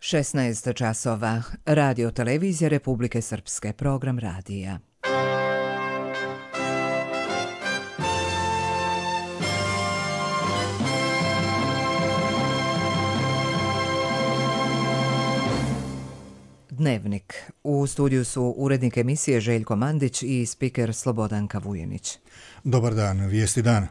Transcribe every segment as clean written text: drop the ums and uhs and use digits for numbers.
16 časova. Radio televizija Republike Srpske. Program radija. Dnevnik. U studiju su urednik emisije Željko Mandić i spiker Slobodanka Vujenić. Dobar dan, vijesti dana.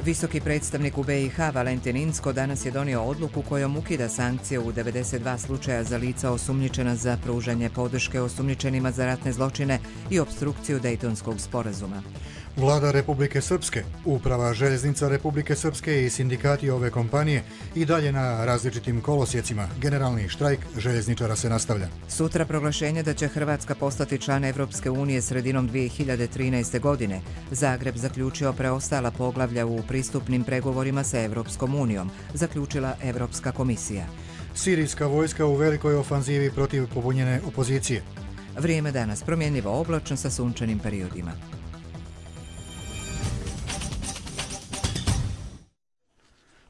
Visoki predstavnik u BiH Valentin Incko danas je donio odluku kojom ukida sankcije u 92 slučaja za lica osumnjičena za pružanje podrške osumnjičenima za ratne zločine i opstrukciju Dejtonskog sporazuma. Vlada Republike Srpske, Uprava željeznica Republike Srpske i sindikati ove kompanije i dalje na različitim kolosjecima. Generalni štrajk željezničara se nastavlja. Sutra proglašenje da će Hrvatska postati član Evropske unije sredinom 2013. godine. Zagreb zaključio preostala poglavlja u pristupnim pregovorima sa Evropskom unijom, zaključila Evropska komisija. Sirijska vojska u velikoj ofanzivi protiv pobunjene opozicije. Vrijeme danas promjenljivo oblačno sa sunčanim periodima.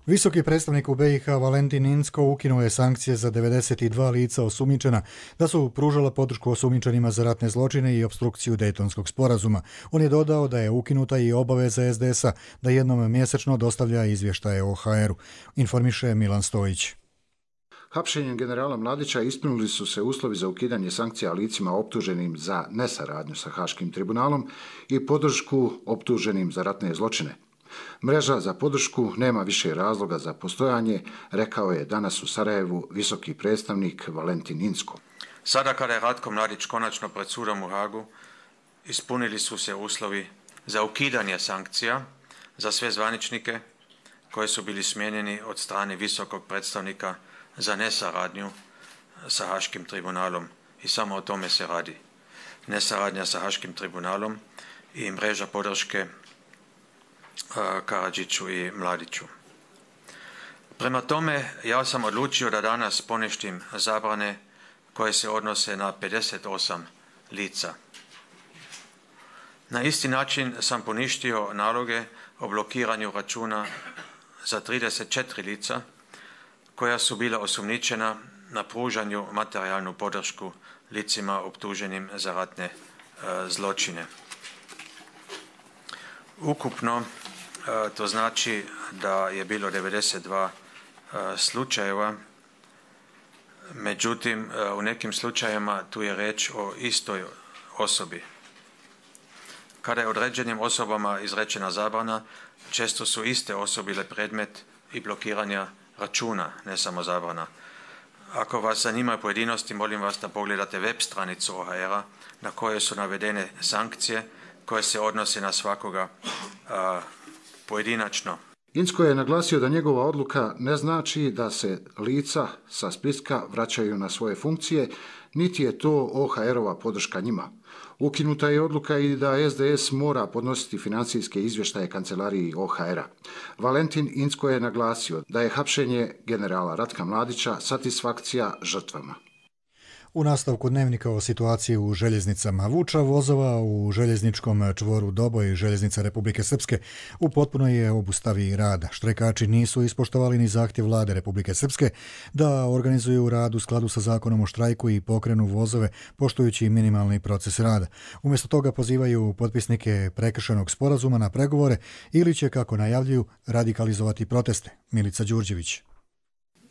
Visoki predstavnik u BiH Valentin Incko ukinuo je sankcije za 92 lica osumnjičena da su pružala podršku osumnjičenima za ratne zločine i opstrukciju Dejtonskog sporazuma. On je dodao da je ukinuta i obaveza SDS-a da jednom mjesečno dostavlja izvještaje o HR-u. Informiše Milan Stojić. Hapšenjem generala Mladića ispunili su se uslovi za ukidanje sankcija licima optuženim za nesaradnju sa Haškim tribunalom i podršku optuženim za ratne zločine. Mreža za podršku nema više razloga za postojanje, rekao je danas u Sarajevu visoki predstavnik Valentin Incko. Sada kada je Ratko Mladić konačno pred sudom u Hagu, ispunili su se uslovi za ukidanje sankcija za sve zvaničnike koji su bili smijenjeni od strane visokog predstavnika za nesaradnju sa Haškim tribunalom. I samo o tome se radi. Nesaradnja sa Haškim tribunalom i mreža podrške Karadžiću i Mladiću. Prema tome, ja sam odlučio da danas poništim zabrane koje se odnose na 58 lica. Na isti način sam poništio naloge o blokiranju računa za 34 lica koja su bila osumnjičena na pružanju materijalnu podršku licima optuženim za ratne zločine. Ukupno to znači da je bilo 92 slučajeva, međutim u nekim slučajevima tu je riječ o istoj osobi. Kada je određenim osobama izrečena zabrana, često su iste osobe bile predmet i blokiranja računa, ne samo zabrana. Ako vas zanimaju pojedinosti, molim vas da pogledate web stranicu OHR-a na kojoj su navedene sankcije koje se odnose na svakoga pojedinačno. Incko je naglasio da njegova odluka ne znači da se lica sa spiska vraćaju na svoje funkcije, niti je to OHR-ova podrška njima. Ukinuta je odluka i da SDS mora podnositi financijske izvještaje kancelariji OHR-a. Valentin Incko je naglasio da je hapšenje generala Ratka Mladića satisfakcija žrtvama. U nastavku dnevnika o situaciji u željeznicama. Vuča vozova u željezničkom čvoru Doboj željeznica Republike Srpske u potpunoj je obustavi rada. Štrajkači nisu ispoštovali ni zahtjev vlade Republike Srpske da organizuju rad u skladu sa zakonom o štrajku i pokrenu vozove poštujući minimalni proces rada. Umjesto toga pozivaju potpisnike prekršenog sporazuma na pregovore ili će, kako najavljuju, radikalizovati proteste. Milica Đurđević.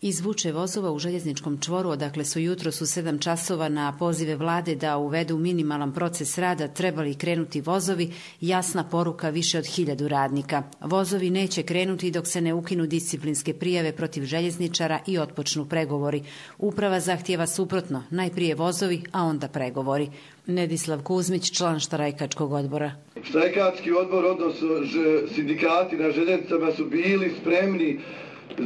Iz Vuče vozova u željezničkom čvoru, odakle su jutros u 7 časova na pozive vlade da uvedu minimalan proces rada trebali krenuti vozovi, jasna poruka više od 1000 radnika. Vozovi neće krenuti dok se ne ukinu disciplinske prijave protiv željezničara i otpočnu pregovori. Uprava zahtijeva suprotno, najprije vozovi, a onda pregovori. Nedislav Kuzmić, član štrajkačkog odbora. Štrajkački odbor, odnosno sindikati na željeznicama su bili spremni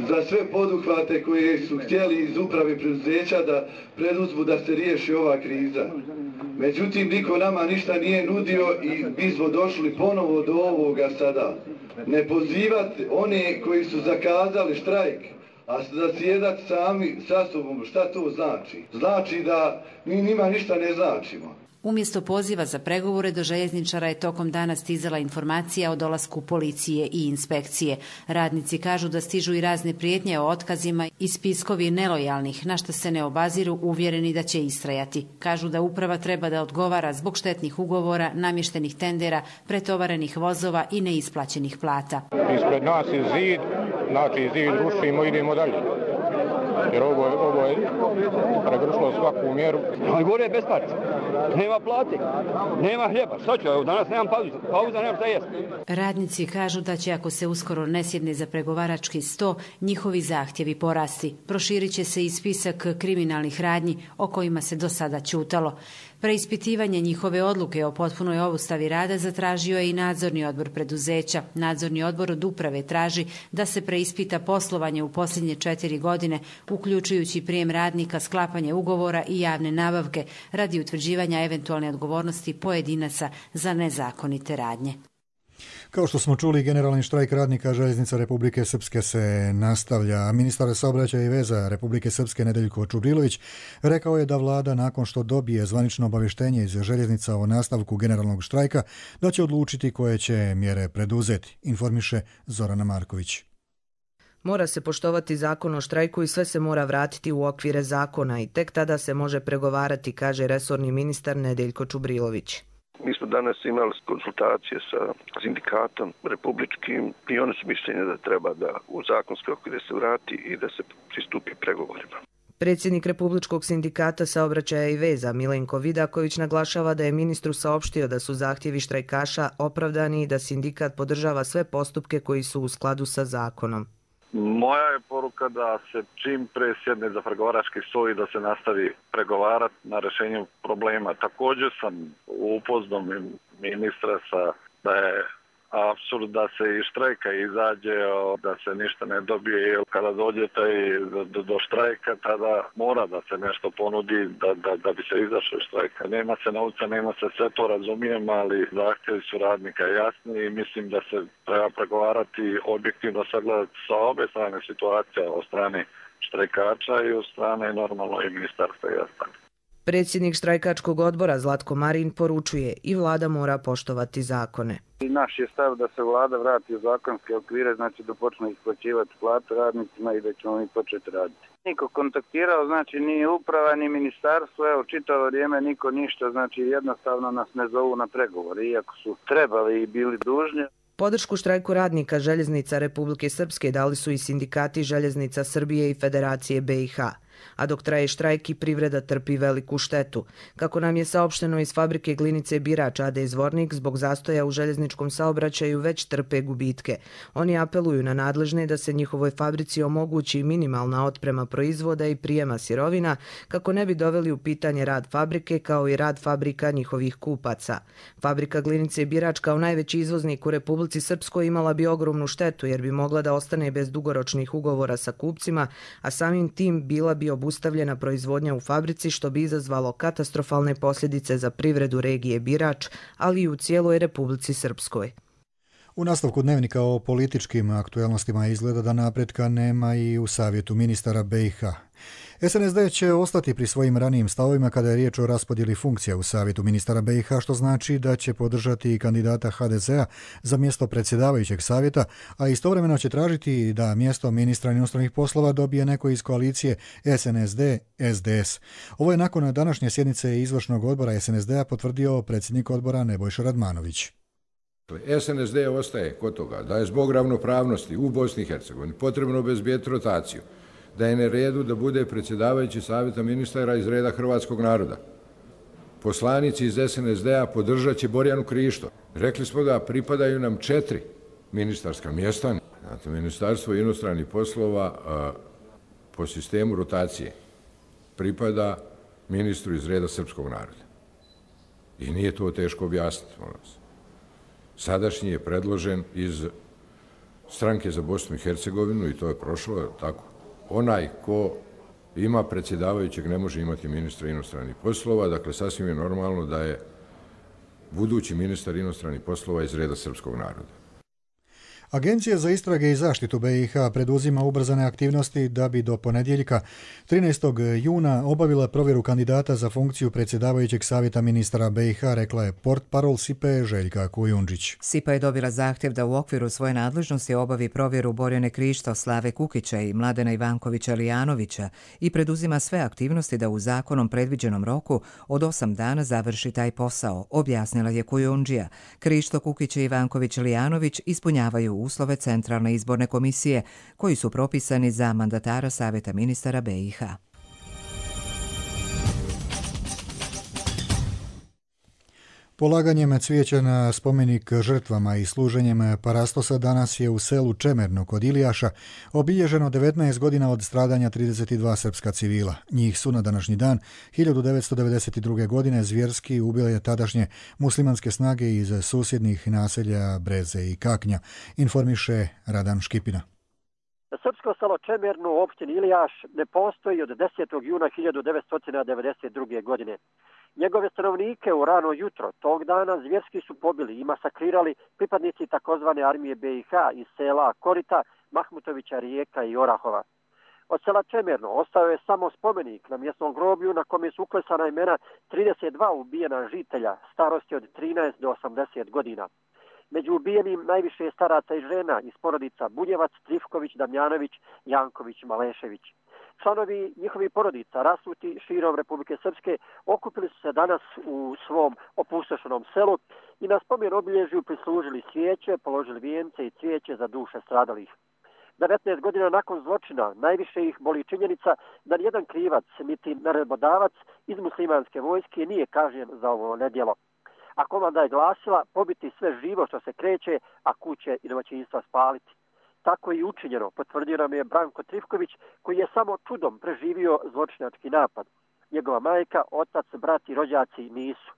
za sve poduhvate koje su htjeli iz uprave preduzeća da preduzmu da se riješi ova kriza. Međutim, niko nama ništa nije nudio i mi smo došli ponovo do ovoga sada. Ne pozivati one koji su zakazali štrajk, A zasjedati sami sa sobom, šta to znači? Znači da mi njima ništa ne značimo. Umjesto poziva za pregovore do željezničara je tokom dana stizala informacija o dolasku policije i inspekcije. Radnici kažu da stižu i razne prijetnje o otkazima i spiskovi nelojalnih, na što se ne obaziru, uvjereni da će istrajati. Kažu da uprava treba da odgovara zbog štetnih ugovora, namještenih tendera, pretovarenih vozova i neisplaćenih plata. Ispred nas je zid, znači zid rušimo, idemo dalje. Jer ovo je pregršlo svaku mjeru. Ali gore je bez parca. Nema plate, nema hljeba. Šta ću, evo danas nemam pauza, nemam šta jesti. Radnici kažu da će, ako se uskoro ne sjedne za pregovarački sto, njihovi zahtjevi porasti. Proširit će se i spisak kriminalnih radnji o kojima se do sada ćutalo. Preispitivanje njihove odluke o potpunoj obustavi rada zatražio je i nadzorni odbor preduzeća. Nadzorni odbor od uprave traži da se preispita poslovanje u posljednje 4 godine, uključujući prijem radnika, sklapanje ugovora i javne nabavke radi utvrđivanja eventualne odgovornosti pojedinaca za nezakonite radnje. Kao što smo čuli, generalni štrajk radnika Željeznica Republike Srpske se nastavlja. Ministar saobraćaja i veza Republike Srpske Nedeljko Čubrilović rekao je da vlada, nakon što dobije zvanično obavještenje iz željeznica o nastavku generalnog štrajka, da će odlučiti koje će mjere preduzeti, informiše Zorana Marković. Mora se poštovati zakon o štrajku i sve se mora vratiti u okvire zakona i tek tada se može pregovarati, kaže resorni ministar Nedeljko Čubrilović. Mi smo danas imali konsultacije sa sindikatom republičkim i oni su mišljenja da treba da u zakonske okvire se vrati i da se pristupi pregovorima. Predsjednik Republičkog sindikata saobraćaja i veza Milenko Vidaković naglašava da je ministru saopštio da su zahtjevi štrajkaša opravdani i da sindikat podržava sve postupke koji su u skladu sa zakonom. Moja je poruka da se čim pre sjedne za pregovarački stol i da se nastavi pregovarati na rješenju problema. Također sam upoznao ministra da je apsurd da se iz štrajka izađe, da se ništa ne dobije, jer kada dođete do štrajka, tada mora da se nešto ponudi da bi se izašlo iz štrajka. Nema se novca, nema se, sve to razumijem, ali zahtjevi su radnika jasni i mislim da se treba pregovarati objektivno, sagledati sa obe strane situacija, od strane štrajkača i od strane normalno i ministarstva jasno. Predsjednik štrajkačkog odbora Zlatko Marin poručuje i vlada mora poštovati zakone. Naš je stav da se vlada vrati u zakonske okvire, znači da počne isplaćivati plate radnicima i da ćemo mi početi raditi. Niko kontaktirao, znači ni uprava, ni ministarstvo, evo čitavo vrijeme niko ništa, znači jednostavno nas ne zovu na pregovore, iako su trebali i bili dužni. Podršku štrajku radnika Željeznica Republike Srpske dali su i sindikati Željeznica Srbije i Federacije BiH. A dok traje štrajk i privreda trpi veliku štetu. Kako nam je saopšteno iz fabrike glinice Birač AD Zvornik, zbog zastoja u željezničkom saobraćaju već trpe gubitke. Oni apeluju na nadležne da se njihovoj fabrici omogući minimalna otprema proizvoda i prijema sirovina, kako ne bi doveli u pitanje rad fabrike kao i rad fabrika njihovih kupaca. Fabrika glinice Birač kao najveći izvoznik u Republici Srpskoj imala bi ogromnu štetu jer bi mogla da ostane bez dugoročnih ugovora sa kupcima, a samim tim bila bi obustavljena proizvodnja u fabrici, što bi izazvalo katastrofalne posljedice za privredu regije Birač, ali i u cijeloj Republici Srpskoj. U nastavku dnevnika o političkim aktualnostima izgleda da napretka nema i u savjetu ministara BiH. SNSD će ostati pri svojim ranijim stavovima kada je riječ o raspodjeli funkcija u savjetu ministara BiH, što znači da će podržati i kandidata HDZ-a za mjesto predsjedavajućeg savjeta, a istovremeno će tražiti da mjesto ministra inostranih poslova dobije neko iz koalicije SNSD-SDS. Ovo je nakon današnje sjednice izvršnog odbora SNSD-a potvrdio predsjednik odbora Nebojša Radmanović. SNSD ostaje kod toga da je zbog ravnopravnosti u Bosni i Hercegovini potrebno obezbijeti rotaciju, da je na redu da bude predsjedavajući savjeta ministara iz reda hrvatskog naroda. Poslanici iz SNSD-a podržat će Borjanu Krišto. Rekli smo da pripadaju nam 4 ministarska mjesta. Znate, Ministarstvo inostranih poslova po sistemu rotacije pripada ministru iz reda srpskog naroda. I nije to teško objasniti, molim vas. Sadašnji je predložen iz stranke za Bosnu i Hercegovinu i to je prošlo, tako. Onaj ko ima predsjedavajućeg ne može imati ministra inostranih poslova, dakle sasvim je normalno da je budući ministar inostranih poslova iz reda srpskog naroda. Agencija za istrage i zaštitu BiH preduzima ubrzane aktivnosti da bi do ponedjeljka 13. juna obavila provjeru kandidata za funkciju predsjedavajućeg savjeta ministara BiH, rekla je portparol SIPA Željka Kujundžić. SIPA je dobila zahtjev da u okviru svoje nadležnosti obavi provjeru Borjane Krišto, Slave Kukića i Mladena Ivankovića Lijanovića i preduzima sve aktivnosti da u zakonom predviđenom roku od 8 dana završi taj posao, objasnila je Kujundžija. Krišto, Kukić i Ivanković Lijanović ispunjavaju uslove Centralne izborne komisije koji su propisani za mandatara Savjeta ministara BiH. Polaganjem cvijeća na spomenik žrtvama i služenjem parastosa danas je u selu Čemerno kod Ilijaša obilježeno 19 godina od stradanja 32 srpska civila. Njih su na današnji dan 1992. godine zvjerski ubile tadašnje muslimanske snage iz susjednih naselja Breze i Kaknja, informiše Radan Škipina. Srpsko selo Čemerno u opštini Ilijaš ne postoji od 10. juna 1992. godine. Njegove stanovnike u rano jutro tog dana zvjerski su pobili i masakrirali pripadnici takozvane armije BiH iz sela Korita, Mahmutovića, Rijeka i Orahova. Od sela Čemerno ostao je samo spomenik na mjesnom groblju na kome su uklesana imena 32 ubijena žitelja starosti od 13 do 80 godina. Među ubijenim najviše je staraca i žena iz porodica Bunjevac, Trifković, Damjanović, Janković, Malešević. Članovi njihovih porodica rasuti širom Republike Srpske okupili su se danas u svom opustošenom selu i na spomen obilježju prislužili svijeće, položili vijence i cvijeće za duše stradalih. 19 godina nakon zločina najviše ih boli činjenica da nijedan krivac niti naredbodavac iz muslimanske vojske nije kažnjen za ovo nedjelo. A komanda je glasila pobiti sve živo što se kreće, a kuće i domaćinstva spaliti. Tako je i učinjeno, potvrdio nam je Branko Trifković, koji je samo čudom preživio zločinački napad. Njegova majka, otac, brat i rođaci nisu.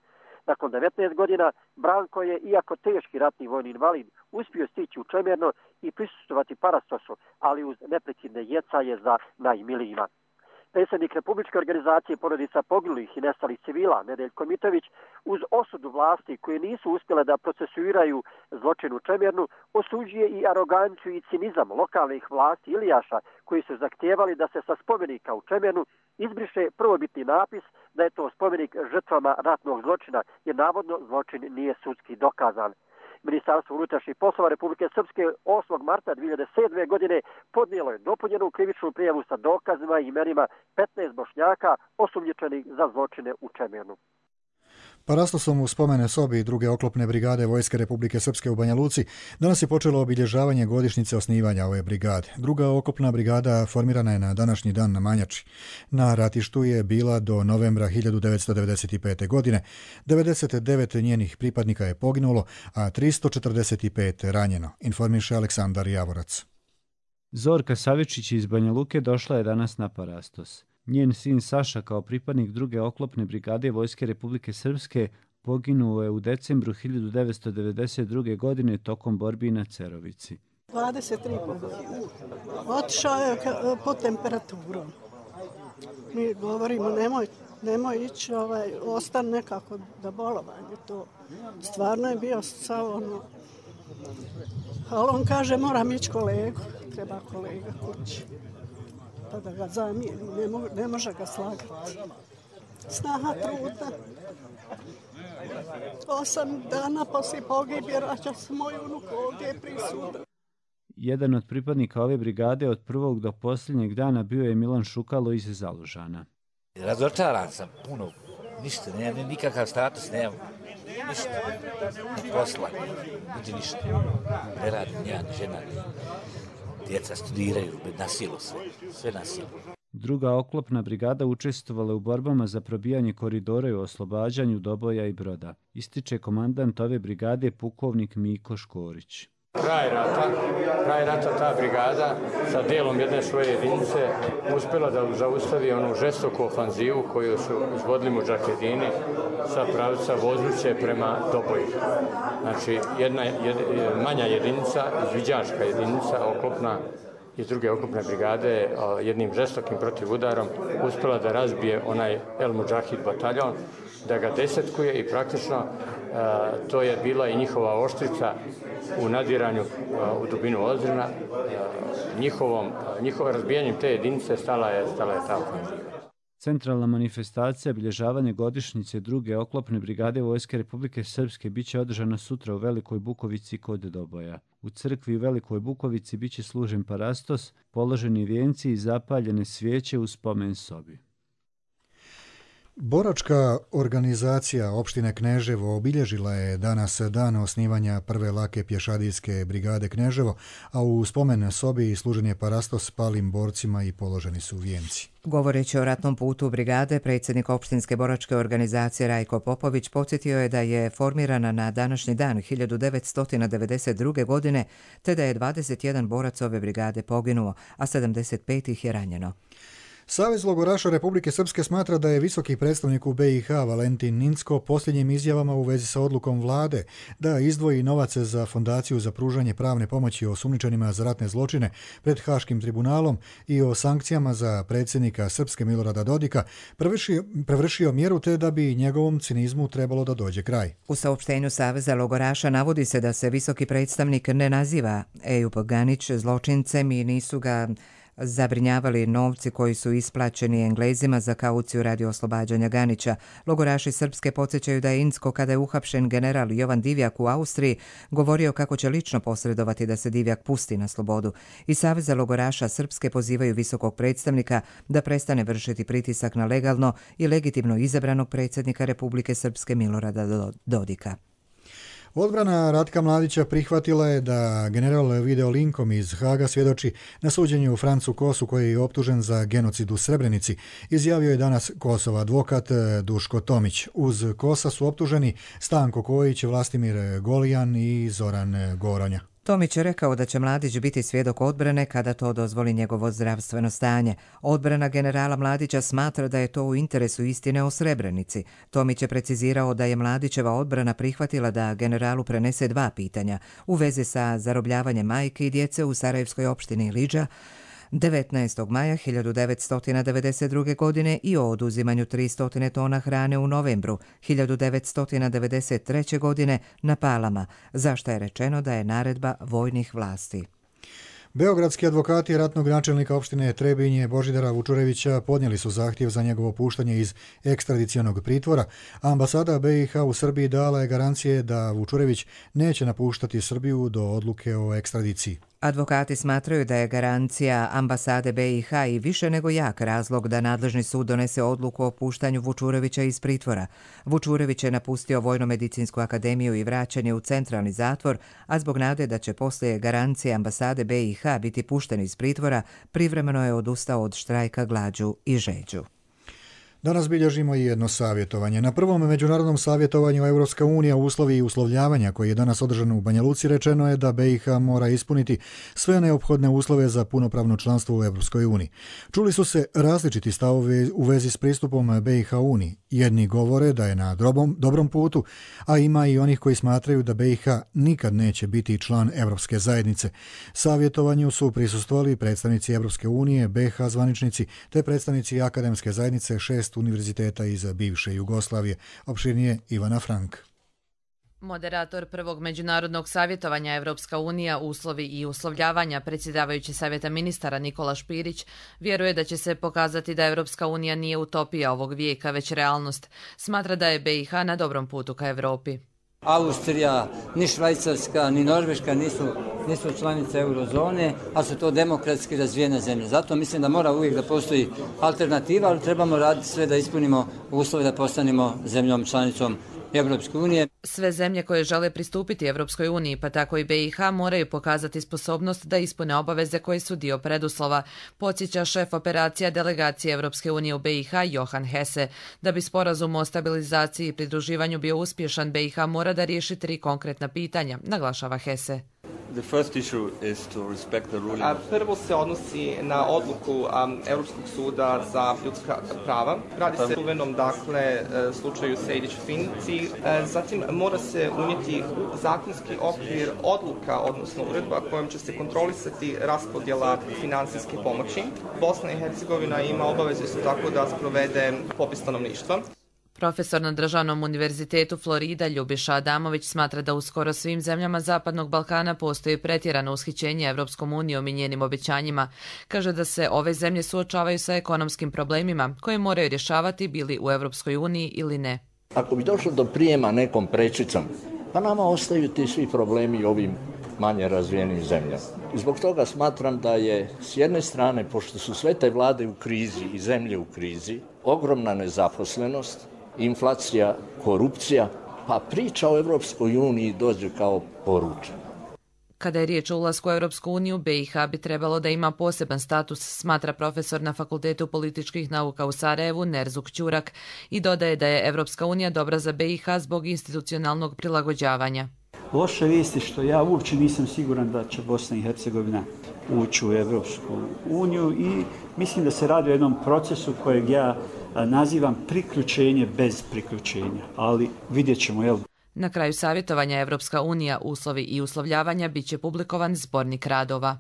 Nakon 19 godina Branko je, iako teški ratni vojni invalid, uspio stići u Čemerno i prisustvovati parastosu, ali uz neprekidne jecaje za najmilijima. Predsjednik Republičke organizacije porodica poginulih i nestalih civila, Nedeljko Mitović, uz osudu vlasti koje nisu uspjele da procesuiraju zločin u Čemernu, osuđuje i aroganciju i cinizam lokalnih vlasti Ilijaša koji su zahtijevali da se sa spomenika u Čemernu izbriše prvobitni napis da je to spomenik žrtvama ratnog zločina, jer navodno zločin nije sudski dokazan. Ministarstvo unutrašnjih poslova Republike Srpske 8. marta 2007. godine podnijelo je dopunjenu krivičnu prijavu sa dokazima i imenima 15 Bošnjaka osumnjičenih za zločine u Čemernu. Parastosom u spomene sobi druge oklopne brigade Vojske Republike Srpske u Banja Luci danas je počelo obilježavanje godišnjice osnivanja ove brigade. Druga oklopna brigada formirana je na današnji dan na Manjači. Na ratištu je bila do novembra 1995. godine. 99 njenih pripadnika je poginulo, a 345 ranjeno, informiše Aleksandar Javorac. Zorka Savičić iz Banja Luke došla je danas na Parastos. Njen sin Saša kao pripadnik druge oklopne brigade Vojske Republike Srpske poginuo je u decembru 1992. godine tokom borbi na Cerovici. 23 godine. Otišao je pod temperaturom. Mi govorimo nemoj ići, ostane nekako da bolovanje. To stvarno je bio sav ono. Ali on kaže moram ići kolegu, treba kolega kući. Pa da ga zamijeni, ne može ga slagati. Snaha trudna. 8 dana poslije pogibje vraća se moj unuk ovdje prisudan. Jedan od pripadnika ove brigade od prvog do posljednjeg dana bio je Milan Šukalo iz Zalužana. Razočaran sam puno, ništa, nemam nikakav status, nemam ništa, ni posla, niti ništa. Ne radim, ja, ni žena, djeca studiraju, na silu sve na silu. Druga oklopna brigada učestvovala u borbama za probijanje koridora i oslobađanju Doboja i Broda. Ističe komandant ove brigade pukovnik Miko Škorić. Kraj rata ta brigada sa delom jedne svoje jedinice uspjela da zaustavi onu žestoku ofanzivu koju su izvodili mudžahedini sa pravca Vozuće prema Doboju. Znači, jedna manja jedinica, izviđačka jedinica, oklopna iz druge oklopne brigade, jednim žestokim protivudarom uspjela da razbije onaj El Mudžahid bataljon, da ga desetkuje i praktično to je bila i njihova oštrica u nadiranju u dubinu Ozrina. Njihovom razbijanjem te jedinice stala je ta ofenziva. Centralna manifestacija obilježavanje godišnjice druge oklopne brigade Vojske Republike Srpske biće održana sutra u Velikoj Bukovici kod Doboja. U crkvi u Velikoj Bukovici biće služen parastos, položeni vijenci i zapaljene svijeće u spomen sobi. Boračka organizacija opštine Kneževo obilježila je danas dan osnivanja prve lake pješadijske brigade Kneževo, a u spomen sobi služen je parastos palim borcima i položeni su vijenci. Govoreći o ratnom putu brigade, predsjednik opštinske boračke organizacije Rajko Popović podsjetio je da je formirana na današnji dan 1992. godine, te da je 21 borac ove brigade poginuo, a 75 ih je ranjeno. Savez logoraša Republike Srpske smatra da je visoki predstavnik u BiH Valentin Incko posljednjim izjavama u vezi sa odlukom vlade da izdvoji novac za fondaciju za pružanje pravne pomoći osumnjičenima za ratne zločine pred Haškim tribunalom i o sankcijama za predsjednika Srpske Milorada Dodika prevršio mjeru te da bi njegovom cinizmu trebalo da dođe kraj. U saopštenju Saveza logoraša navodi se da se visoki predstavnik ne naziva Ejup Ganić zločincem i nisu ga zabrinjavali novci koji su isplaćeni Englezima za kauciju radi oslobađanja Ganića. Logoraši Srpske podsjećaju da je Incko, kada je uhapšen general Jovan Divjak u Austriji, govorio kako će lično posredovati da se Divjak pusti na slobodu. I Saveza logoraša Srpske pozivaju visokog predstavnika da prestane vršiti pritisak na legalno i legitimno izabranog predsjednika Republike Srpske Milorada Dodika. Odbrana Ratka Mladića prihvatila je da general video linkom iz Haga svjedoči na suđenju Francu Kosu koji je optužen za genocid u Srebrenici, izjavio je danas Kosov advokat Duško Tomić. Uz Kosa su optuženi Stanko Kojić, Vlastimir Golijan i Zoran Goronja. Tomić je rekao da će Mladić biti svjedok odbrane kada to dozvoli njegovo zdravstveno stanje. Odbrana generala Mladića smatra da je to u interesu istine o Srebrenici. Tomić je precizirao da je Mladićeva odbrana prihvatila da generalu prenese 2 pitanja u vezi sa zarobljavanjem majke i djece u Sarajevskoj opštini Iliđa 19. maja 1992. godine i o oduzimanju 300 tona hrane u novembru 1993. godine na Palama, za što je rečeno da je naredba vojnih vlasti. Beogradski advokati ratnog načelnika opštine Trebinje Božidara Vučurevića podnijeli su zahtjev za njegovo puštanje iz ekstradicionog pritvora, a ambasada BiH u Srbiji dala je garancije da Vučurević neće napuštati Srbiju do odluke o ekstradiciji. Advokati smatraju da je garancija ambasade BiH i više nego jak razlog da nadležni sud donese odluku o puštanju Vučurevića iz pritvora. Vučurević je napustio Vojno-medicinsku akademiju i vraćan je u centralni zatvor, a zbog nade da će poslije garancije ambasade BiH biti pušten iz pritvora, privremeno je odustao od štrajka glađu i žeđu. Danas bilježimo i jedno savjetovanje. Na prvom međunarodnom savjetovanju Evropska unija uslovi i uslovljavanja koji je danas održan u Banja Luci rečeno je da BiH mora ispuniti sve neophodne uslove za punopravno članstvo u Evropskoj uniji. Čuli su se različiti stavovi u vezi s pristupom BiH uniji. Jedni govore da je na dobrom putu, a ima i onih koji smatraju da BiH nikad neće biti član Evropske zajednice. Savjetovanju su prisustvovali predstavnici Evropske unije, BiH zvaničnici te predstavnici akademske zajednice 6 univerziteta iz bivše Jugoslavije. Opširnije Ivana Frank. Moderator prvog međunarodnog savjetovanja Evropska unija, uslovi i uslovljavanja, predsjedavajući savjeta ministara Nikola Špirić, vjeruje da će se pokazati da Evropska unija nije utopija ovog vijeka, već realnost. Smatra da je BiH na dobrom putu ka Evropi. Austrija, ni Švajcarska, ni Norveška nisu članice eurozone, a su to demokratski razvijene zemlje. Zato mislim da mora uvijek da postoji alternativa, ali trebamo raditi sve da ispunimo uslove da postanemo zemljom članicom Evropske unije. Sve zemlje koje žele pristupiti Evropskoj uniji, pa tako i BiH, moraju pokazati sposobnost da ispune obaveze koje su dio preduslova, podsjeća šef operacija delegacije Evropske unije u BiH Johan Hesse. Da bi sporazum o stabilizaciji i pridruživanju bio uspješan, BiH mora da riješi 3 konkretna pitanja, naglašava Hesse. Prvo se odnosi na odluku Europskog suda za ljudska prava. Radi se o čuvenom, slučaju Sejdić-Finci. Zatim mora se unijeti u zakonski okvir odluka, odnosno uredba kojom će se kontrolisati raspodjela finansijske pomoći. Bosna i Hercegovina ima obavezu isto tako da sprovede popis stanovništva. Profesor na Državnom univerzitetu Florida Ljubiša Adamović smatra da u skoro svim zemljama Zapadnog Balkana postoji pretjerano ushićenje Evropskom unijom i njenim obećanjima. Kaže da se ove zemlje suočavaju sa ekonomskim problemima koje moraju rješavati bili u Evropskoj uniji ili ne. Ako bi došlo do prijema nekom prečicom, pa nama ostaju ti svi problemi ovim manje razvijenim zemljama. I zbog toga smatram da je s jedne strane, pošto su sve te vlade u krizi i zemlje u krizi, ogromna nezaposlenost, inflacija, korupcija, pa priča o Evropskoj uniji dođe kao poručena. Kada je riječ o ulasku u Evropsku uniju, BiH bi trebalo da ima poseban status, smatra profesor na Fakultetu političkih nauka u Sarajevu Nerzuk Ćurak i dodaje da je Evropska unija dobra za BiH zbog institucionalnog prilagođavanja. Loša vijest je što ja uopće nisam siguran da će Bosna i Hercegovina ući u Evropsku uniju i mislim da se radi o jednom procesu kojeg ja nazivam priključenje bez priključenja, ali vidjet ćemo, jel? Na kraju savjetovanja Evropska unija, uslovi i uslovljavanja bit će publikovan zbornik radova.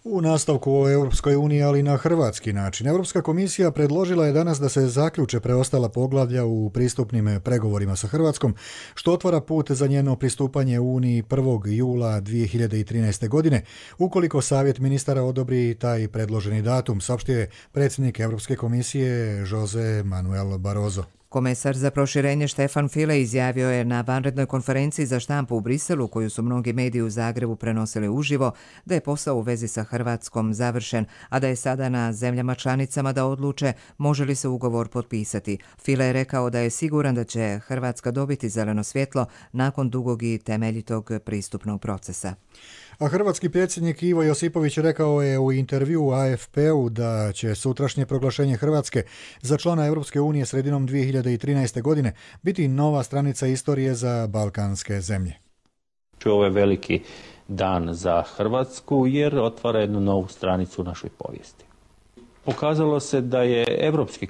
U nastavku o Europskoj uniji, ali na hrvatski način. Europska komisija predložila je danas da se zaključe preostala poglavlja u pristupnim pregovorima sa Hrvatskom, što otvara put za njeno pristupanje Uniji 1. jula 2013. godine, ukoliko Savjet ministara odobri taj predloženi datum, saopštio je predsjednik Europske komisije Jose Manuel Barroso. Komesar za proširenje Štefan File izjavio je na vanrednoj konferenciji za štampu u Briselu, koju su mnogi mediji u Zagrebu prenosili uživo, da je posao u vezi sa Hrvatskom završen, a da je sada na zemljama članicama da odluče može li se ugovor potpisati. File je rekao da je siguran da će Hrvatska dobiti zeleno svjetlo nakon dugog i temeljitog pristupnog procesa. A hrvatski predsjednik Ivo Josipović rekao je u intervjuu AFP-u da će sutrašnje proglašenje Hrvatske za člana Europske unije sredinom 2013. godine biti nova stranica istorije za balkanske zemlje. Ovo je veliki dan za Hrvatsku jer otvara jednu novu stranicu u našoj povijesti. Pokazalo se da je europski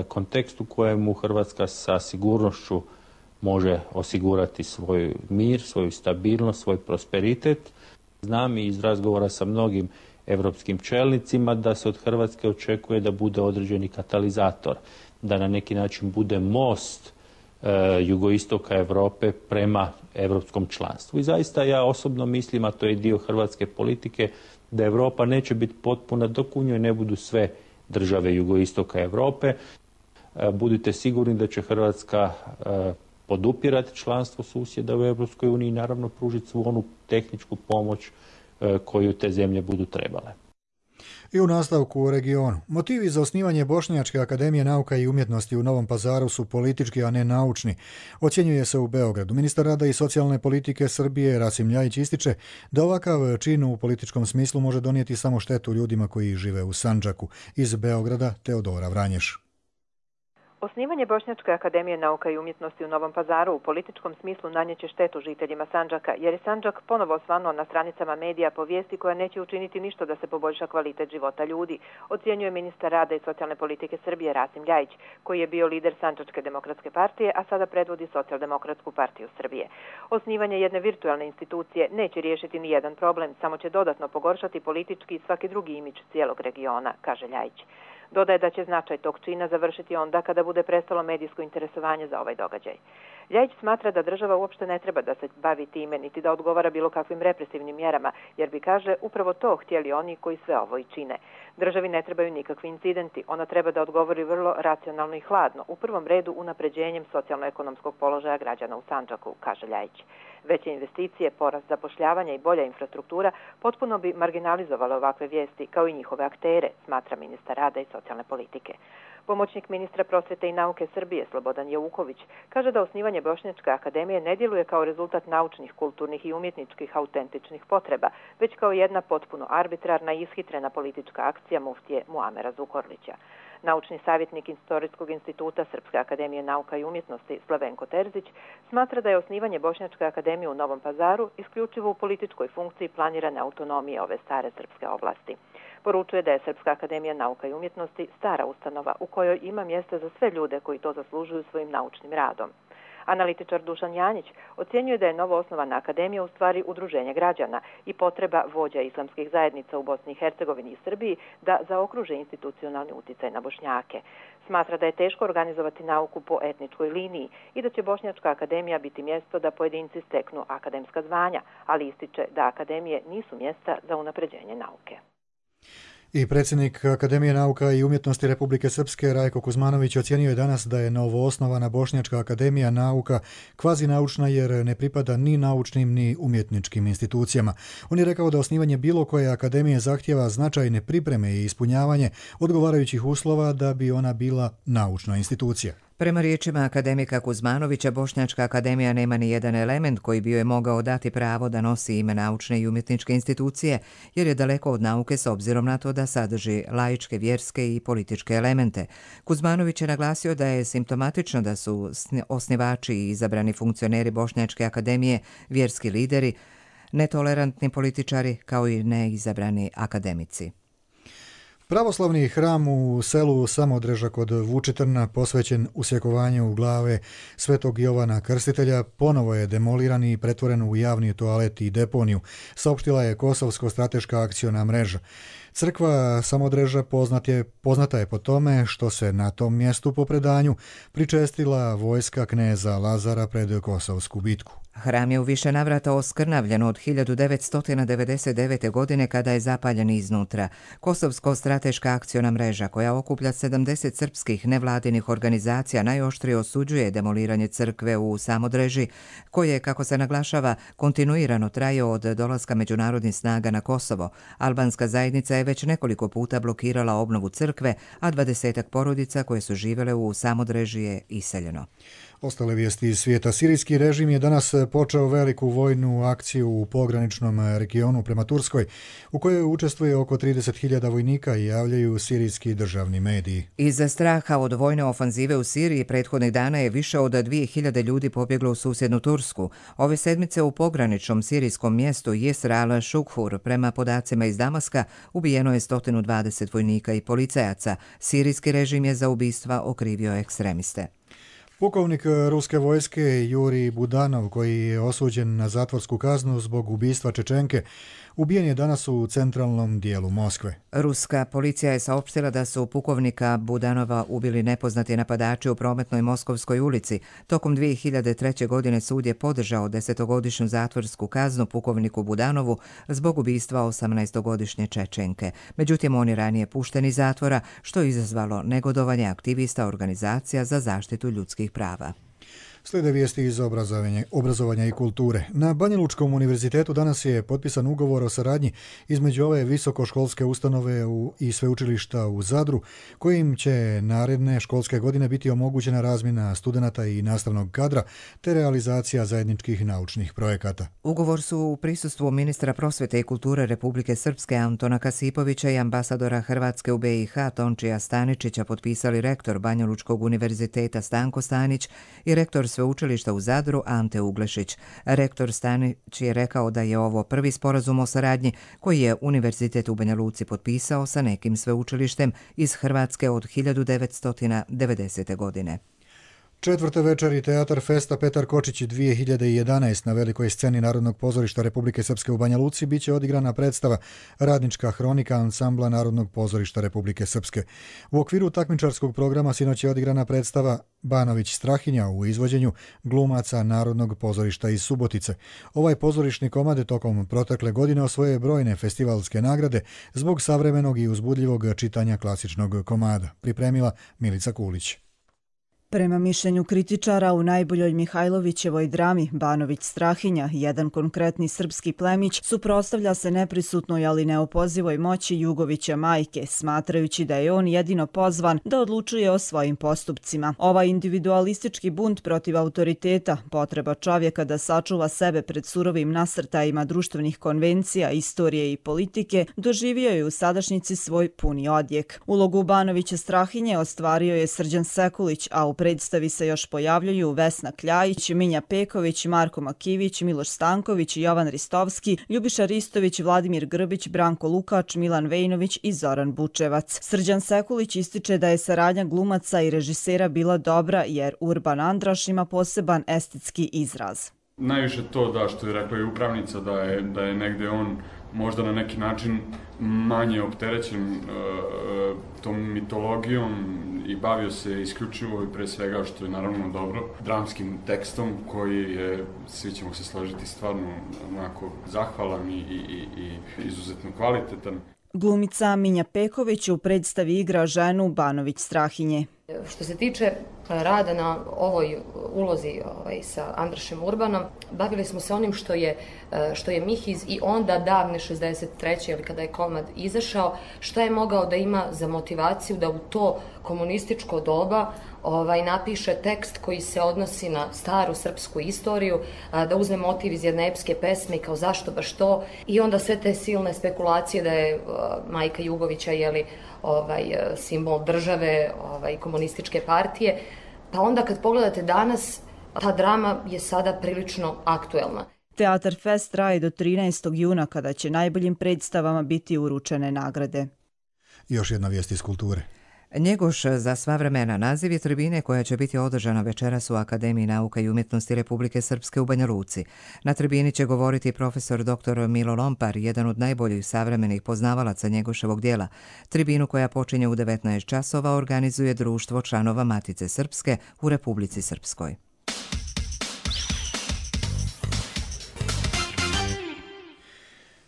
kontekst u kojemu Hrvatska sa sigurnošću može osigurati svoj mir, svoju stabilnost, svoj prosperitet. Znam i iz razgovora sa mnogim europskim čelnicima da se od Hrvatske očekuje da bude određeni katalizator, da na neki način bude most jugoistoka Europe prema europskom članstvu. I zaista ja osobno mislim, a to je dio hrvatske politike, da Europa neće biti potpuna dok u njoj ne budu sve države jugoistoka Europe. Budite sigurni da će Hrvatska podupirati članstvo susjeda u Europskoj uniji i naravno pružiti svu onu tehničku pomoć koju te zemlje budu trebale. I u nastavku u regionu. Motivi za osnivanje Bošnjačke akademije nauka i umjetnosti u Novom Pazaru su politički, a ne naučni. Ocjenjuje se u Beogradu. Ministar rada i socijalne politike Srbije Rasim Ljajić ističe da ovakav čin u političkom smislu može donijeti samo štetu ljudima koji žive u Sandžaku. Iz Beograda Teodora Vranješ. Osnivanje Bošnjačke akademije nauka i umjetnosti u Novom Pazaru u političkom smislu nanjeće štetu žiteljima Sandžaka, jer je Sandžak ponovo osvanuo na stranicama medija po vijesti koja neće učiniti ništa da se poboljša kvalitet života ljudi, ocjenjuje ministar rada i socijalne politike Srbije Rasim Ljajić, koji je bio lider Sandžačke demokratske partije, a sada predvodi Socijaldemokratsku partiju Srbije. Osnivanje jedne virtualne institucije neće riješiti ni jedan problem, samo će dodatno pogoršati politički i svaki drugi imidž cijelog regiona, kaže Ljajić. Dodaje da će značaj tog čina završiti onda kada bude prestalo medijsko interesovanje za ovaj događaj. Ljajić smatra da država uopšte ne treba da se bavi time, niti da odgovara bilo kakvim represivnim mjerama, jer bi, kaže, upravo to htjeli oni koji sve ovo i čine. Državi ne trebaju nikakvi incidenti, ona treba da odgovori vrlo racionalno i hladno, u prvom redu unapređenjem socijalno-ekonomskog položaja građana u Sandžaku, kaže Ljajić. Veće investicije, porast zapošljavanja i bolja infrastruktura potpuno bi marginalizovale ovakve vijesti kao i njihove aktere, smatra ministar rada i socijalne politike. Pomoćnik ministra prosvjete i nauke Srbije Slobodan Jeuković kaže da osnivanje Bošnjačke akademije ne djeluje kao rezultat naučnih, kulturnih i umjetničkih autentičnih potreba, već kao jedna potpuno arbitrarna i ishitrena politička akcija muftije Muamera Zukorlića. Naučni savjetnik Historijskog instituta Srpske akademije nauka i umjetnosti Slavenko Terzić smatra da je osnivanje Bošnjačke akademije u Novom Pazaru isključivo u političkoj funkciji planirane autonomije ove stare srpske oblasti. Poručuje da je Srpska akademija nauka i umjetnosti stara ustanova u kojoj ima mjesta za sve ljude koji to zaslužuju svojim naučnim radom. Analitičar Dušan Janjić ocjenjuje da je novo osnovana akademija u stvari udruženje građana i potreba vođa islamskih zajednica u Bosni i Hercegovini i Srbiji da zaokruže institucionalni uticaj na Bošnjake. Smatra da je teško organizovati nauku po etničkoj liniji i da će Bošnjačka akademija biti mjesto da pojedinci steknu akademska zvanja, ali ističe da akademije nisu mjesta za unapređenje nauke. I predsjednik Akademije nauka i umjetnosti Republike Srpske Rajko Kuzmanović ocjenio je danas da je novoosnovana Bošnjačka akademija nauka kvazinaučna jer ne pripada ni naučnim ni umjetničkim institucijama. On je rekao da osnivanje bilo koje akademije zahtjeva značajne pripreme i ispunjavanje odgovarajućih uslova da bi ona bila naučna institucija. Prema riječima akademika Kuzmanovića, Bošnjačka akademija nema ni jedan element koji bi joj mogao dati pravo da nosi ime naučne i umjetničke institucije, jer je daleko od nauke s obzirom na to da sadrži laičke, vjerske i političke elemente. Kuzmanović je naglasio da je simptomatično da su osnivači i izabrani funkcioneri Bošnjačke akademije vjerski lideri, netolerantni političari kao i neizabrani akademici. Pravoslavni hram u selu Samodreža kod Vučitrna, posvećen usjekovanju glave Svetog Jovana Krstitelja, ponovo je demoliran i pretvoren u javni toalet i deponiju, saopštila je Kosovsko strateška akciona mreža. Crkva Samodreža poznata je po tome što se na tom mjestu po predanju pričestila vojska kneza Lazara pred Kosovsku bitku. Hram je u više navrata oskrnavljen od 1999. godine kada je zapaljen iznutra. Kosovsko strateška akciona mreža, koja okuplja 70 srpskih nevladinih organizacija, najoštrije osuđuje demoliranje crkve u Samodreži, koje, kako se naglašava, kontinuirano traje od dolaska međunarodnih snaga na Kosovo. Albanska zajednica je već nekoliko puta blokirala obnovu crkve, a 20 porodica koje su živjele u Samodreži je iseljeno. Ostale vijesti iz svijeta. Sirijski režim je danas počeo veliku vojnu akciju u pograničnom regionu prema Turskoj, u kojoj učestvuje oko 30.000 vojnika i javljaju sirijski državni mediji. Iz straha od vojne ofanzive u Siriji prethodnih dana je više od 2.000 ljudi pobjeglo u susjednu Tursku. Ove sedmice u pograničnom sirijskom mjestu Jesr al-Šukhur, prema podacima iz Damaska, ubijeno je 120 vojnika i policajaca. Sirijski režim je za ubistva okrivio ekstremiste. Pukovnik ruske vojske Jurij Budanov, koji je osuđen na zatvorsku kaznu zbog ubistva Čečenke, ubijen je danas u centralnom dijelu Moskve. Ruska policija je saopštila da su pukovnika Budanova ubili nepoznati napadači u prometnoj Moskovskoj ulici. Tokom 2003. godine sud je podržao 10-godišnju zatvorsku kaznu pukovniku Budanovu zbog ubistva 18-godišnje Čečenke. Međutim, on je ranije pušten iz zatvora, što je izazvalo negodovanje aktivista organizacija za zaštitu ljudskih prava. Slijede vijesti iz obrazovanja i kulture. Na Banjalučkom univerzitetu danas je potpisan ugovor o saradnji između ove visokoškolske ustanove i sveučilišta u Zadru, kojim će naredne školske godine biti omogućena razmjena studenata i nastavnog kadra te realizacija zajedničkih naučnih projekata. Ugovor su u prisustvu ministra prosvete i kulture Republike Srpske Antona Kasipovića i ambasadora Hrvatske u BiH Tončija Staničića potpisali rektor Banjalučkog univerziteta Stanko Stanić i rektor sveučilišta u Zadru Ante Uglešić. Rektor Stanić je rekao da je ovo prvi sporazum o saradnji koji je Univerzitet u Banja Luci potpisao sa nekim sveučilištem iz Hrvatske od 1990. godine. Četvrte večeri Teatar Festa Petar Kočić 2011 na velikoj sceni Narodnog pozorišta Republike Srpske u Banja Luci biće odigrana predstava Radnička hronika ansambla Narodnog pozorišta Republike Srpske. U okviru takmičarskog programa sinoć je odigrana predstava Banović Strahinja u izvođenju glumaca Narodnog pozorišta iz Subotice. Ovaj pozorišni komad tokom protekle godine osvojio brojne festivalske nagrade zbog savremenog i uzbudljivog čitanja klasičnog komada. Pripremila Milica Kulić. Prema mišljenju kritičara, u najboljoj Mihajlovićevoj drami Banović Strahinja, jedan konkretni srpski plemić, suprotstavlja se neprisutnoj ali neopozivoj moći Jugovića majke, smatrajući da je on jedino pozvan da odlučuje o svojim postupcima. Ovaj individualistički bunt protiv autoriteta, potreba čovjeka da sačuva sebe pred surovim nasrtajima društvenih konvencija, istorije i politike, doživio je u sadašnjici svoj puni odjek. Ulogu Banovića Strahinje ostvario je Srđan Sekulić, a u predstavi se još pojavljuju Vesna Kljajić, Minja Peković, Marko Makivić, Miloš Stanković, Jovan Ristovski, Ljubiša Ristović, Vladimir Grbić, Branko Lukač, Milan Vejnović i Zoran Bučevac. Srđan Sekulić ističe da je saradnja glumaca i režisera bila dobra jer Urban Andraš ima poseban estetski izraz. Najviše to da što je rekla i upravnica da je negde on možda na neki način manje opterećen tom mitologijom i bavio se isključivo i pre svega, što je naravno dobro, dramskim tekstom koji je, svi ćemo se složiti, stvarno onako zahvalan i izuzetno kvalitetan. Glumica Minja Peković u predstavi igra ženu Banović Strahinje. Što se tiče rada na ovoj ulozi sa Andrašem Urbanom, bavili smo se onim što je Mihiz i onda davne 63. ili kada je komad izašao, što je mogao da ima za motivaciju da u to komunističko doba napiše tekst koji se odnosi na staru srpsku istoriju, da uzme motiv iz jedne epske pesme kao zašto baš to i onda sve te silne spekulacije da je majka Jugovića simbol države komunističke partije. Pa onda kad pogledate danas, ta drama je sada prilično aktuelna. Teatar Fest traje do 13. juna kada će najboljim predstavama biti uručene nagrade. Još jedna vijest iz kulture. Njegoš za sva vremena naziv je tribine koja će biti održana večeras u Akademiji nauka i umjetnosti Republike Srpske u Banja Luci. Na tribini će govoriti profesor dr. Milo Lompar, jedan od najboljih savremenih poznavalaca Njegoševog dijela. Tribinu koja počinje u 19 časova organizuje Društvo članova Matice Srpske u Republici Srpskoj.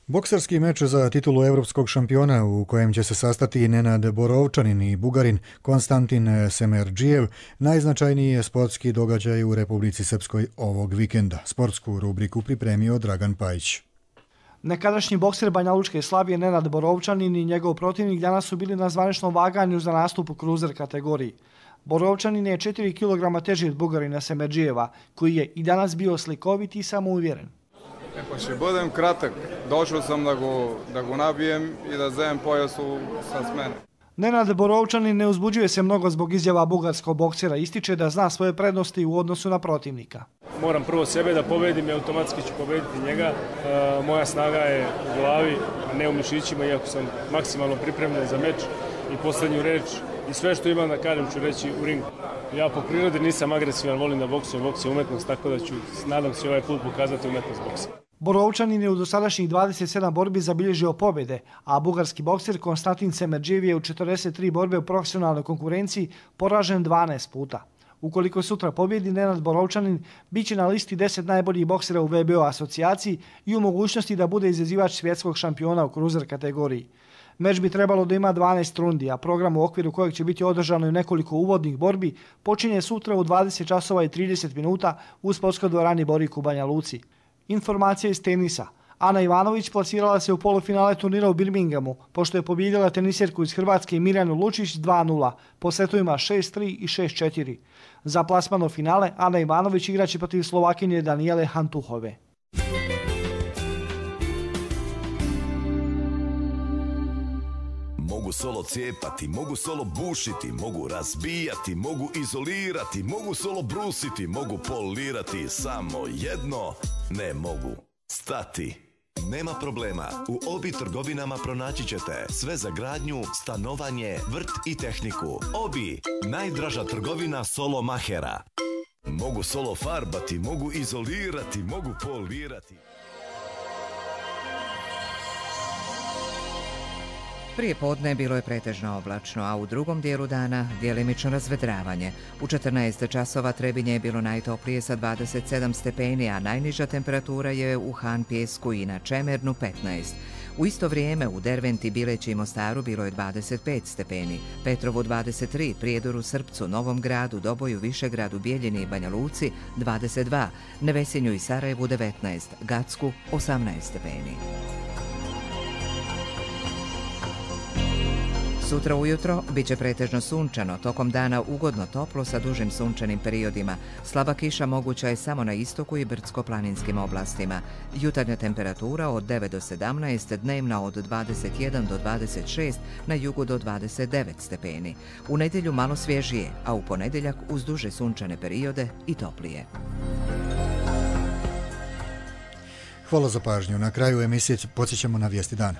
Bokserski meč za titulu evropskog šampiona u kojem će se sastati Nenad Borovčanin i Bugarin Konstantin Semerđijev najznačajniji je sportski događaj u Republici Srpskoj ovog vikenda. Sportsku rubriku pripremio Dragan Pajić. Nekadašnji bokser Banjalučke Slavije Nenad Borovčanin i njegov protivnik danas su bili na zvaničnom vaganju za nastup u kruzer kategoriji. Borovčanin je 4 kg teži od Bugarina Semerđijeva, koji je i danas bio slikovit i samouvjeren. Ще бъдем кратък. Дошъл съм да го набиjem i da вземем pojasu с мене. Nenad Borovčanin ne uzbuđuje se mnogo zbog izjava bugarskog boksera, ističe da zna svoje prednosti u odnosu na protivnika. Moram prvo sebe da pobedim i automatski ću pobediti njega. Moja snaga je u glavi, a ne u mišićima, iako sam maksimalno pripremljen za meč i poslednju reč i sve što imam da kažem ću reći u ringu. Ja po prirodi nisam agresivan, volim da boksujem, boks je umetnost, tako da ću, nadam se, ovaj put pokazati umetnost boksa. Borovčanin je u dosadašnjih 27 borbi zabilježio pobjede, a bugarski bokser Konstantin Semerđijev je u 43 borbe u profesionalnoj konkurenciji poražen 12 puta. Ukoliko sutra pobjedi, Nenad Borovčanin bit će na listi 10 najboljih boksera u WBO asocijaciji i u mogućnosti da bude izazivač svjetskog šampiona u kruzer kategoriji. Meč bi trebalo da ima 12 rundi, a program u okviru kojeg će biti održano i nekoliko uvodnih borbi počinje sutra u 20 časova i 30 minuta u sportskoj dvorani Borik u Banja Luci. Informacija iz tenisa. Ana Ivanović plasirala se u polufinale turnira u Birminghamu, pošto je pobijedila tenisjerku iz Hrvatske Mirjanu Lučić 2-0, po setovima 6-3 i 6-4. Za plasman u finale Ana Ivanović igraće protiv Slovakinje Danijele Hantuhove. Mogu solo cijepati, mogu solo bušiti, mogu razbijati, mogu izolirati, mogu solo brusiti, mogu polirati, samo jedno ne mogu stati. Nema problema, u Obi trgovinama pronaći ćete sve za gradnju, stanovanje, vrt i tehniku. Obi, najdraža trgovina solo mahera. Mogu solo farbati, mogu izolirati, mogu polirati. Prije podne bilo je pretežno oblačno, a u drugom dijelu dana djelimično razvedravanje. U 14 časova Trebinje je bilo najtoplije sa 27 stepeni, a najniža temperatura je u Han Pjesku i na Čemernu 15. U isto vrijeme u Derventi, Bileći i Mostaru bilo je 25 stepeni, Petrovu 23, Prijedoru, Srpcu, Novom Gradu, Doboju, Višegradu, Bijeljini i Banja Luci 22, Nevesinju i Sarajevu 19, Gacku 18 stepeni. Sutra ujutro biće pretežno sunčano, tokom dana ugodno toplo sa dužim sunčanim periodima. Slaba kiša moguća je samo na istoku i brdsko-planinskim oblastima. Jutarnja temperatura od 9 do 17, dnevna od 21 do 26, na jugu do 29 stepeni. U nedjelju malo svježije, a u ponedjeljak uz duže sunčane periode i toplije. Hvala za pažnju. Na kraju emisije podsjećamo na vijesti dana.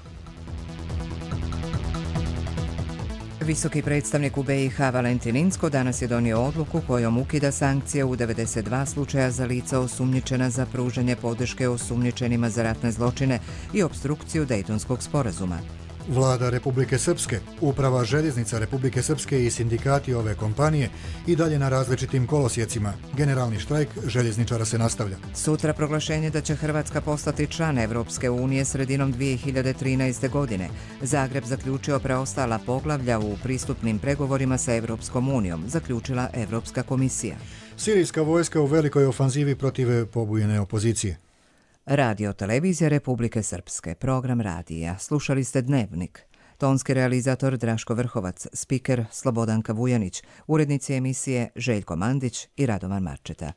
Visoki predstavnik u BiH Valentin Incko danas je donio odluku kojom ukida sankcije u 92 slučaja za lica osumnjičena za pružanje podrške osumnjičenima za ratne zločine i opstrukciju Dejtonskog sporazuma. Vlada Republike Srpske, Uprava željeznica Republike Srpske i sindikati ove kompanije i dalje na različitim kolosijecima. Generalni štrajk željezničara se nastavlja. Sutra proglašenje da će Hrvatska postati član Evropske unije sredinom 2013. godine. Zagreb zaključio preostala poglavlja u pristupnim pregovorima sa Evropskom unijom, zaključila Evropska komisija. Sirijska vojska u velikoj ofanzivi protiv pobujene opozicije. Radio televizija Republike Srpske, program radija. Slušali ste Dnevnik. Tonski realizator Draško Vrhovac, spiker Slobodanka Vujanić, urednici emisije Željko Mandić i Radovan Marčeta.